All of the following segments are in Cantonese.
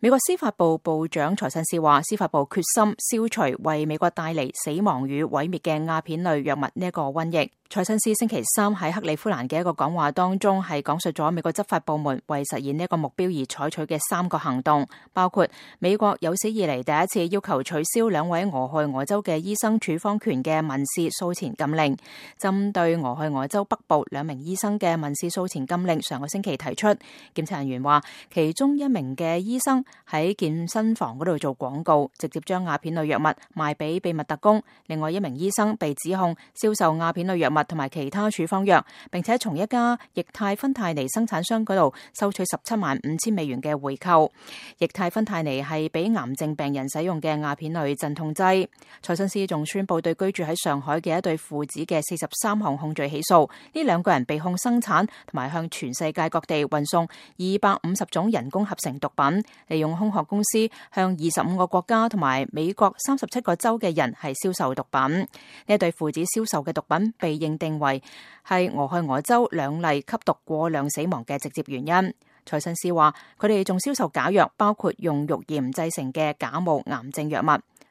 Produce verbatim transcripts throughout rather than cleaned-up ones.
美國司法部部長財信士話，司法部決心消除為美國帶嚟死亡與毀滅嘅鴉片類藥物呢一個瘟疫。財信士星期三喺克里夫蘭嘅一個講話當中，係講述咗美國執法部門為實現呢一個目標而採取嘅三個行動，包括美國有史以嚟第一次要求取消兩位俄亥俄州嘅醫生處方權嘅民事訴前禁令。針對俄亥俄州北部兩名醫生嘅民事訴前禁令，上個星期提出，檢察人員話其中一名嘅醫生喺健身房嗰度做廣告，直接將鴉片類藥物賣俾秘密特工。另外一名醫生被指控銷售鴉片類藥物同埋其他處方藥，並且從一家液態芬太尼生產商嗰度收取十七萬五千美元嘅回扣。液態芬太尼係俾癌症病人使用嘅鴉片類鎮痛劑。財信士仲宣布對居住喺上海嘅一對父子嘅四十三項控罪起訴，呢兩個人被控生產同埋向全世界各地運送二百五十種人工合成毒品，利用空殼公司向二十五個國家同埋美國三十七個州嘅人係銷售毒品。呢一對父子銷售嘅毒品被認定為係俄亥俄州兩例吸毒過量死亡嘅直接原因。財信士話佢哋仲銷售假藥，包括用肉鹽製成嘅假冒癌症藥物。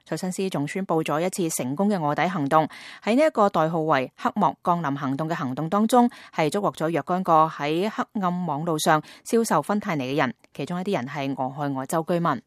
財信士仲宣布咗一次成功嘅臥底行動，喺呢一個代號為黑幕降臨行動嘅行動當中，係捉獲咗若干個喺黑暗網路上銷售芬太尼嘅人，其中一啲人係俄亥俄州居民。